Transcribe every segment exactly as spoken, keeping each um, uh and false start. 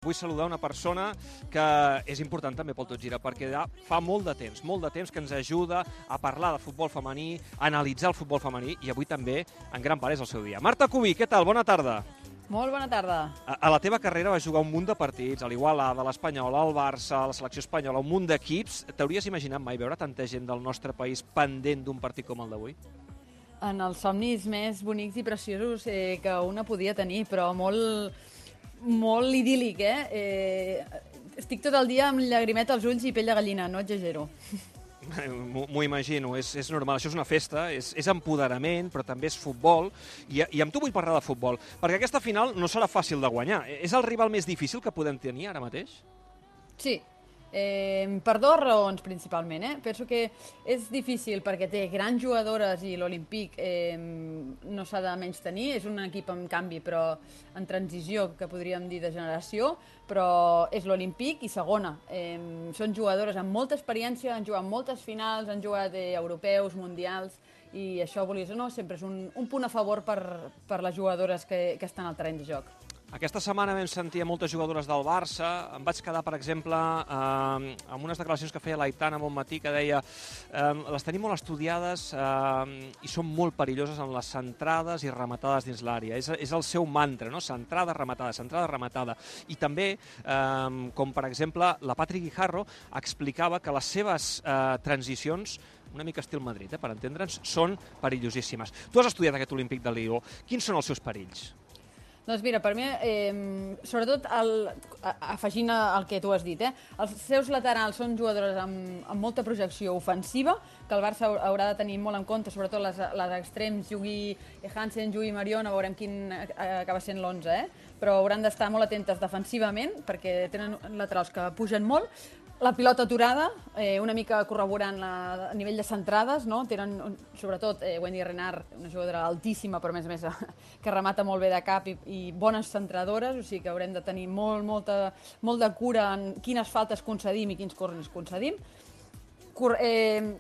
Vull saludar una persona que és important també pel Tot Gira, perquè fa molt de temps, molt de temps que ens ajuda a parlar de futbol femení, a analitzar el futbol femení, i avui també, en gran part, és el seu dia. Marta Cubí, què tal? Bona tarda. Molt bona tarda. A, a la teva carrera vas jugar un munt de partits, a l'Igualada, a l'Espanyol, al Barça, a la selecció espanyola, un munt d'equips. T'hauries imaginat mai veure tanta gent del nostre país pendent d'un partit com el d'avui? En els somnis més bonics i preciosos eh, que una podia tenir, però molt... molt idíl·lic, eh? eh? Estic tot el dia amb llagrimeta als ulls i pell de gallina, no exagero. M'ho imagino, és, és normal, això és una festa, és, és empoderament, però també és futbol, i, i amb tu vull parlar de futbol, perquè aquesta final no serà fàcil de guanyar. És el rival més difícil que podem tenir ara mateix? Sí, eh, per dues raons principalment. Eh? Penso que és difícil perquè té grans jugadores i l'Olímpic eh, no s'ha de menys tenir, és un equip en canvi, però en transició, que podríem dir de generació, però és l'Olímpic, i segona, eh, són jugadores amb molta experiència, han jugat moltes finals, han jugat eh, europeus, mundials, i això, volies o no, sempre és un, un punt a favor per, per les jugadores que, que estan al terreny de joc. Aquesta setmana vam sentir a moltes jugadores del Barça. Em vaig quedar, per exemple, eh, amb unes declaracions que feia l'Aitana Bonmatí, que deia eh, les tenim molt estudiades eh, i són molt perilloses en les centrades i rematades dins l'àrea. És, és el seu mantra, no? Centrada, rematada, centrada, rematada. I també, eh, com per exemple, la Patri Guijarro explicava que les seves eh, transicions, una mica estil Madrid, eh, per entendre'ns, són perillosíssimes. Tu has estudiat aquest Olímpic de Lió. Quins són els seus perills? Doncs mira, per mi, eh, sobretot el, afegint el que tu has dit, eh, els seus laterals són jugadores amb, amb molta projecció ofensiva, que el Barça haurà de tenir molt en compte, sobretot les, les extrems, jugui Hansen, jugui Mariona, veurem quin acaba sent l'onze, eh? Però hauran d'estar molt atentes defensivament, perquè tenen laterals que pugen molt. La pilota aturada, eh, una mica corroborant la, a nivell de centrades, no? Tenen, sobretot, eh, Wendy Renard, una jugadora altíssima, però a més a més que remata molt bé de cap i, i bones centradores, o sigui que haurem de tenir molt, molta, molt de cura en quines faltes concedim i quins corners concedim. Cor eh,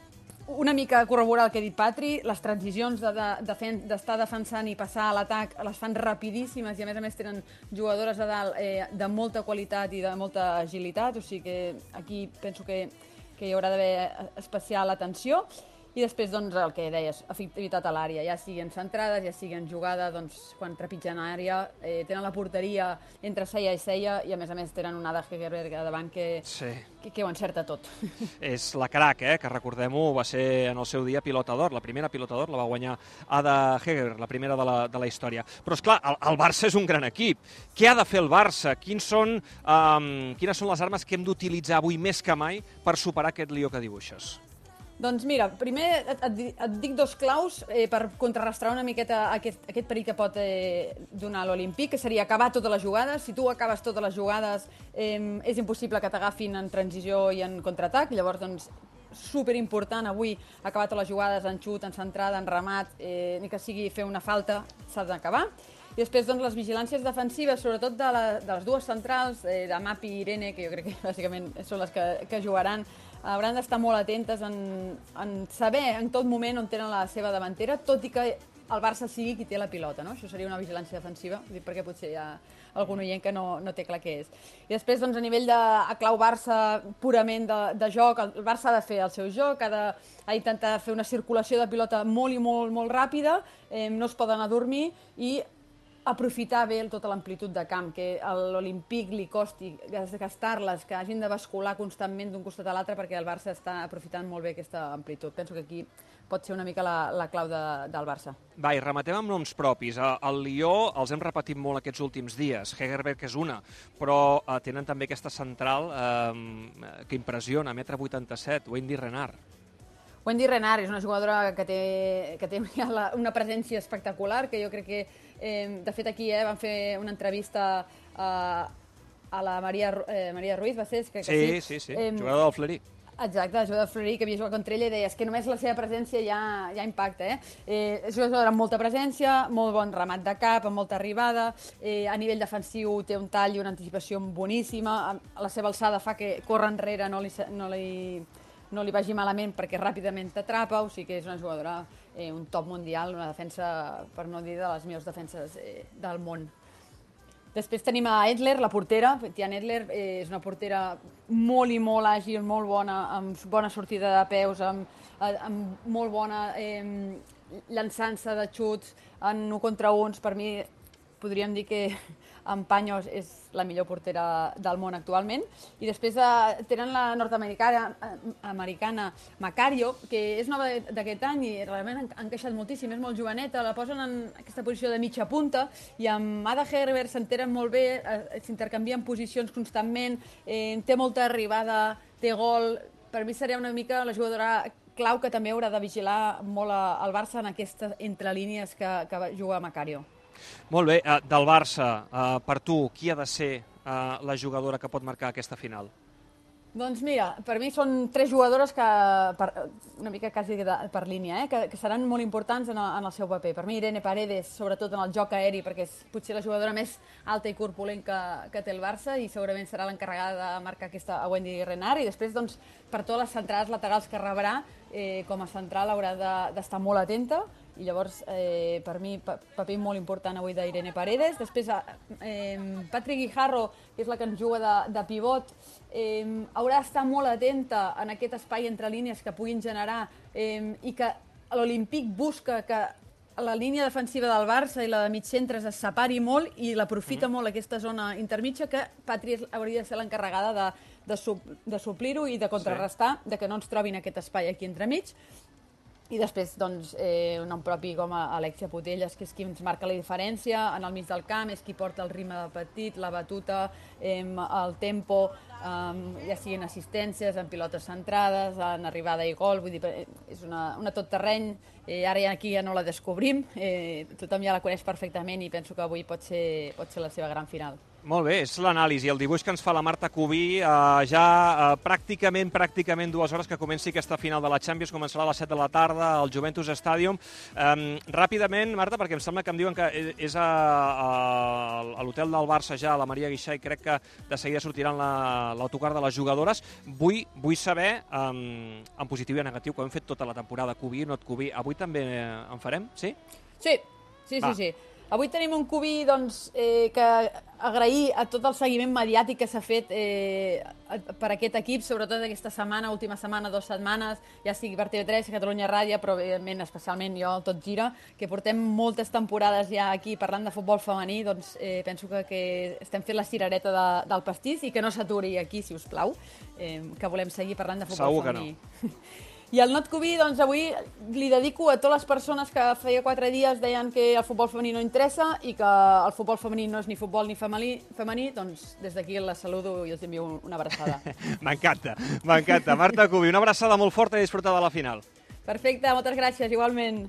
una mica corroborar el que ha dit Patri, les transicions d'estar de, de, de defensant i passar a l'atac les fan rapidíssimes i a més a més tenen jugadores a dalt eh, de molta qualitat i de molta agilitat, o sigui que aquí penso que, que hi haurà d'haver especial atenció. I després, doncs, el que deies, efectivitat a l'àrea, ja siguin centrades, ja siguin jugada, doncs, quan trepitgen àrea, eh, tenen la porteria entre ceia i ceia, i a més a més tenen una Ada Hegerberg davant que, sí. que, que ho encerta tot. És la crac, eh, que recordem-ho, va ser en el seu dia pilota d'or, la primera pilota d'or la va guanyar Ada Hegerberg, la primera de la, de la història. Però, esclar, el, el Barça és un gran equip. Què ha de fer el Barça? Quins són, um, quines són les armes que hem d'utilitzar avui més que mai per superar aquest Lió que dibuixes? Doncs mira, primer et, et, et dic dos claus eh, per contrarrestar una miqueta aquest, aquest perill que pot eh, donar l'Olímpic, que seria acabar totes les jugades. Si tu acabes totes les jugades, eh, és impossible que t'agafin en transició i en contraatac. Llavors, doncs, superimportant avui acabar totes les jugades en xut, en centrada, en remat, eh, ni que sigui fer una falta, s'ha d'acabar. I després, doncs, les vigilàncies defensives, sobretot de, la, de les dues centrals, eh, de Mapi i Irene, que jo crec que bàsicament són les que, que jugaran, hauran d'estar molt atentes en, en saber en tot moment on tenen la seva davantera, tot i que el Barça sigui qui té la pilota, no? Això seria una vigilància defensiva, perquè potser hi ha algun oient que no, no té clar què és. I després, doncs, a nivell de a clau Barça purament de, de joc, el Barça ha de fer el seu joc, ha d'intentar fer una circulació de pilota molt i molt, molt ràpida, eh, no es poden adormir i aprofitar bé tota l'amplitud de camp, que a l'Olímpic li costi gastar-les, que hagin de bascular constantment d'un costat a l'altre perquè el Barça està aprofitant molt bé aquesta amplitud. Penso que aquí pot ser una mica la, la clau de, del Barça. Va, i rematem amb noms propis. El Lió els hem repetit molt aquests últims dies. Hegerberg és una, però eh, tenen també aquesta central eh, que impressiona, metre vuitanta-set, Wendy Renard. Wendy Renard és una jugadora que té, que té una presència espectacular, que jo crec que, eh, de fet, aquí eh, van fer una entrevista a, a la Maria, eh, Maria Ruiz, va ser? Que, que sí, sí, sí, sí. Eh, jugadora del Fleury. Exacte, jugadora del Fleury, que havia jugat contra ella, i deia és que només la seva presència ja, ja impacta. Eh? Eh, és una jugadora amb molta presència, molt bon remat de cap, amb molta arribada, eh, a nivell defensiu té un tall i una anticipació boníssima, la seva alçada fa que córrer enrere no li... No li no li vagi malament perquè ràpidament t'atrapa, o sigui que és una jugadora, eh, un top mundial, una defensa, per no dir, de les millors defenses eh, del món. Després tenim a Edler, la portera. Tian Edler és una portera molt i molt àgil, molt bona, amb bona sortida de peus, amb, amb molt bona eh, llançança de xuts en un contra uns. Per mi podríem dir que en Paños és la millor portera del món actualment. I després eh, tenen la nord-americana americana Macario, que és nova d'aquest any i realment ha encaixat moltíssim, és molt joveneta, la posen en aquesta posició de mitja punta i amb Ada Hegerberg s'entenen molt bé, eh, s'intercanvien posicions constantment, eh, té molta arribada, té gol. Per mi seria una mica la jugadora clau que també haurà de vigilar molt al Barça en aquestes entrelínies que, que juga Macario. Molt bé, del Barça, per tu, qui ha de ser la jugadora que pot marcar aquesta final? Doncs mira, per mi són tres jugadores que, per, una mica quasi de, per línia, eh, que, que seran molt importants en el, en el seu paper. Per mi Irene Paredes, sobretot en el joc aeri, perquè és potser la jugadora més alta i corpulent que, que té el Barça i segurament serà l'encarregada de marcar aquesta a Wendy Renard. I després, doncs, per totes les centrades laterals que rebrà, eh, com a central haurà d'estar molt atenta. I llavors, eh, per mi, paper molt important avui d'Irene Paredes. Després, eh, Patrick Guijarro, que és la que ens juga de, de pivot, eh, haurà d'estar molt atenta en aquest espai entre línies que puguin generar eh, i que l'Olímpic busca que la línia defensiva del Barça i la de mig centres es separi molt i l'aprofita molt aquesta zona intermitja, que Patri hauria de ser l'encarregada de, de, de suplir-ho i de contrarrestar, sí, de que no ens trobin aquest espai aquí entremig. I després, doncs, eh, un nom propi com a Alexia Putellas, que és qui ens marca la diferència en el mig del camp, és qui porta el ritme del partit, la batuta, eh, el tempo, eh, ja siguin assistències, en pilotes centrades, en arribada i gol, vull dir, és una, una tot terreny, eh, ara ja aquí ja no la descobrim, eh, tothom ja la coneix perfectament i penso que avui pot ser, pot ser la seva gran final. Molt bé, és l'anàlisi, el dibuix que ens fa la Marta Cubí, eh, ja eh, pràcticament, pràcticament dues hores que comenci aquesta final de la Champions, començarà a les set de la tarda al Juventus Stadium. Eh, ràpidament, Marta, perquè em sembla que em diuen que és a, a, a l'hotel del Barça ja, a la Maria Guixà, i crec que de seguida sortiran l'autocar de les jugadores. Vull, vull saber, eh, en positiu i en negatiu, que ho hem fet tota la temporada, Cubí, no et Cubí, avui també en farem, sí? Sí, sí, sí, sí. Avui tenim un Cubí doncs, eh, que agrair a tot el seguiment mediàtic que s'ha fet eh, per aquest equip, sobretot aquesta setmana, última setmana, dues setmanes, ja sigui per T V tres, Catalunya Ràdio, però evidentment, especialment jo, Tot Gira, que portem moltes temporades ja aquí parlant de futbol femení, doncs eh, penso que, que estem fent la cirereta de, del pastís i que no s'aturi aquí, si us plau, eh, que volem seguir parlant de futbol Segur femení. Que no. I el Not Cubí, doncs, avui li dedico a totes les persones que feia quatre dies deien que el futbol femení no interessa i que el futbol femení no és ni futbol ni femení, femení doncs des d'aquí les saludo i els envio una abraçada. M'encanta, m'encanta. Marta Cubí, una abraçada molt forta i disfrutar de la final. Perfecte, moltes gràcies, igualment.